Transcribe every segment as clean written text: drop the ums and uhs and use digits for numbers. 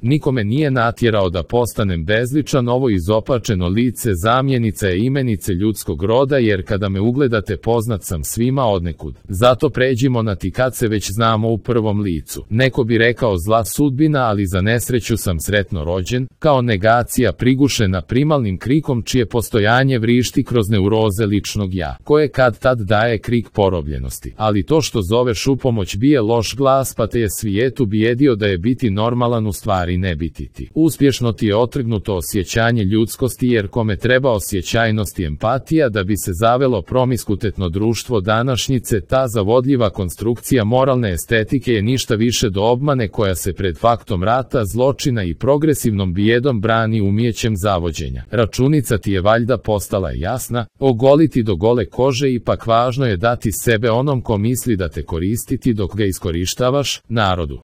Niko me nije natjerao da postanem bezličan, ovo izopačeno lice zamjenica je imenice ljudskog roda, jer kada me ugledate poznat sam svima odnekud. Zato pređimo na ti kad se već znamo u prvom licu. Neko bi rekao zla sudbina, ali za nesreću sam sretno rođen, kao negacija prigušena primalnim krikom čije postojanje vrišti kroz neuroze ličnog ja, koje kad tad daje krik porobljenosti. Ali to što zoveš u pomoć bije loš glas, pa te je svijetu bijedio da je biti normalan u stvari ne biti ti. Uspješno ti je otrgnuto osjećanje ljudskosti, jer kome treba osjećajnost i empatija da bi se zavelo promiskutetno društvo današnjice, ta zavodljiva konstrukcija moralne estetike je ništa više do obmane koja se pred faktom rata, zločina i progresivnom bijedom brani umijećem zavođenja. Računica ti je valjda postala jasna, ogoliti do gole kože, ipak važno je dati sebe onom ko misli da te koristiti dok ga iskorištavaš,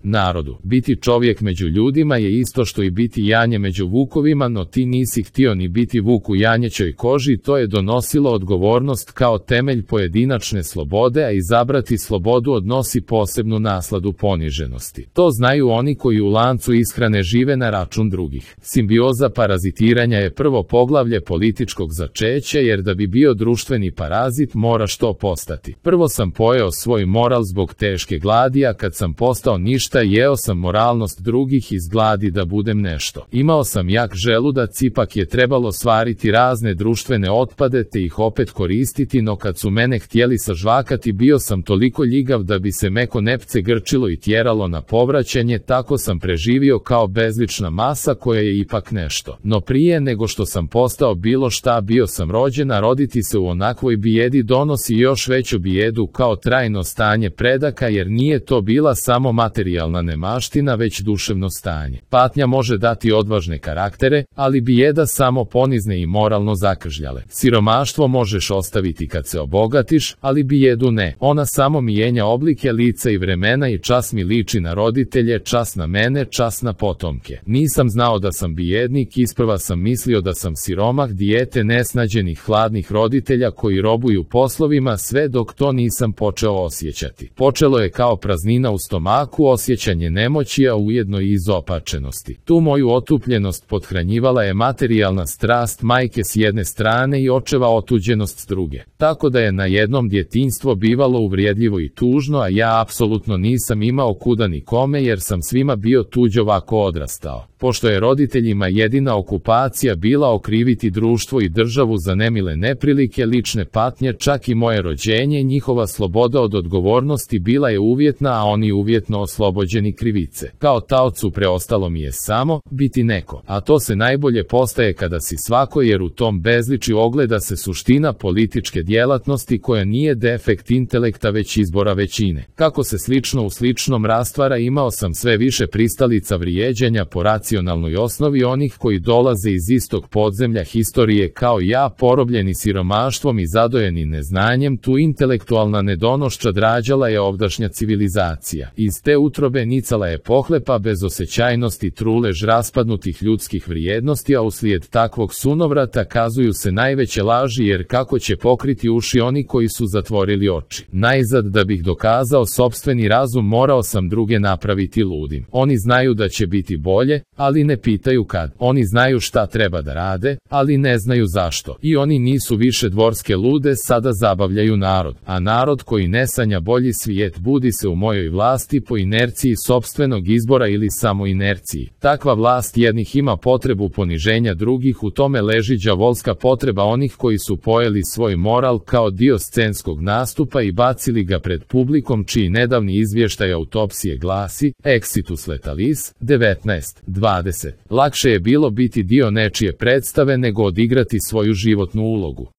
narodu. Biti čovjek među ljudima je isto što i biti janje među vukovima, no ti nisi htio ni biti vuk u janjećoj koži, to je donosilo odgovornost kao temelj pojedinačne slobode, a izabrati slobodu odnosi posebnu nasladu poniženosti. To znaju oni koji u lancu ishrane žive na račun drugih. Simbioza parazitiranja je prvo poglavlje političkog začeća, jer da bi bio društveni parazit moraš to postati. Prvo sam pojeo svoj moral zbog teške gladi, a kad sam postao ništa, jeo sam moralnost drugih iz gladi da budem nešto. Imao sam jak želudac, ipak je trebalo svariti razne društvene otpade te ih opet koristiti, no kad su mene htjeli sažvakati bio sam toliko ljigav da bi se meko nepce grčilo i tjeralo na povraćanje, tako sam preživio kao bezlična masa koja je ipak nešto. No prije nego što sam postao bilo šta bio sam rođen, a roditi se u onakvoj bijedi donosi još veću bijedu kao trajno stanje predaka, jer nije to bila samo materijalna nemaština već duševno stanje. Patnja može dati odvažne karaktere, ali bijeda samo ponizne i moralno zakržljale. Siromaštvo možeš ostaviti kad se obogatiš, ali bijedu ne. Ona samo mijenja oblike, lica i vremena i čas mi liči na roditelje, čas na mene, čas na potomke. Nisam znao da sam bijednik, isprva sam mislio da sam siromah, dijete nesnađenih hladnih roditelja koji robuju poslovima, sve dok to nisam počeo osjećati. Počelo je kao praznina u stomaku, osjećanje nemoći, a ujedno i izopačenosti. Tu moju otupljenost pothranjivala je materijalna strast majke s jedne strane i očeva otuđenost s druge. Tako da je na jednom djetinjstvo bivalo uvrijedljivo i tužno, a ja apsolutno nisam imao kuda ni kome, jer sam svima bio tuđ ovako odrastao. Pošto je roditeljima jedina okupacija bila okriviti društvo i državu za nemile neprilike, lične patnje, čak i moje rođenje, njihova sloboda od odgovornosti bila je uvjetna, a oni uvjetno oslobođeni krivice. Kao taocu preostalo mi je samo biti neko, a to se najbolje postaje kada si svako, jer u tom bezliči ogleda se suština političke djelatnosti koja nije defekt intelekta već izbora većine. Kako se slično u sličnom rastvara, imao sam sve više pristalica vrijeđanja po racionalnoj osnovi onih koji dolaze iz istog podzemlja historije kao ja, porobljeni siromaštvom i zadojeni neznanjem. Tu intelektualna nedonošća drađala je ovdašnja civilizacija. Iz te utrobe nicala je pohlepa bez osjećajnosti, trulež raspadnutih ljudskih vrijednosti, a uslijed takvog sunovrata kazuju se najveće laži, jer kako će pokriti uši oni koji su zatvorili oči. Najzad, da bih dokazao sopstveni razum, morao sam druge napraviti ludim. Oni znaju da će biti bolje, ali ne pitaju kad. Oni znaju šta treba da rade, ali ne znaju zašto. I oni nisu više dvorske lude, sada zabavljaju narod. A narod koji ne sanja bolji svijet budi se u mojoj vlasti po inerciji sopstvenog izbora ili samo inerciji. Takva vlast jednih ima potrebu poniženja drugih, u tome leži đavolska potreba onih koji su pojeli svoj moral kao dio scenskog nastupa i bacili ga pred publikom, čiji nedavni izvještaj autopsije glasi Exitus letalis 19:20. Lakše je bilo biti dio nečije predstave nego odigrati svoju životnu ulogu.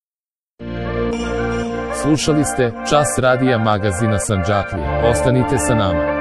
Slušali ste Čas radija magazina Sandžaklije. Ostanite sa nama.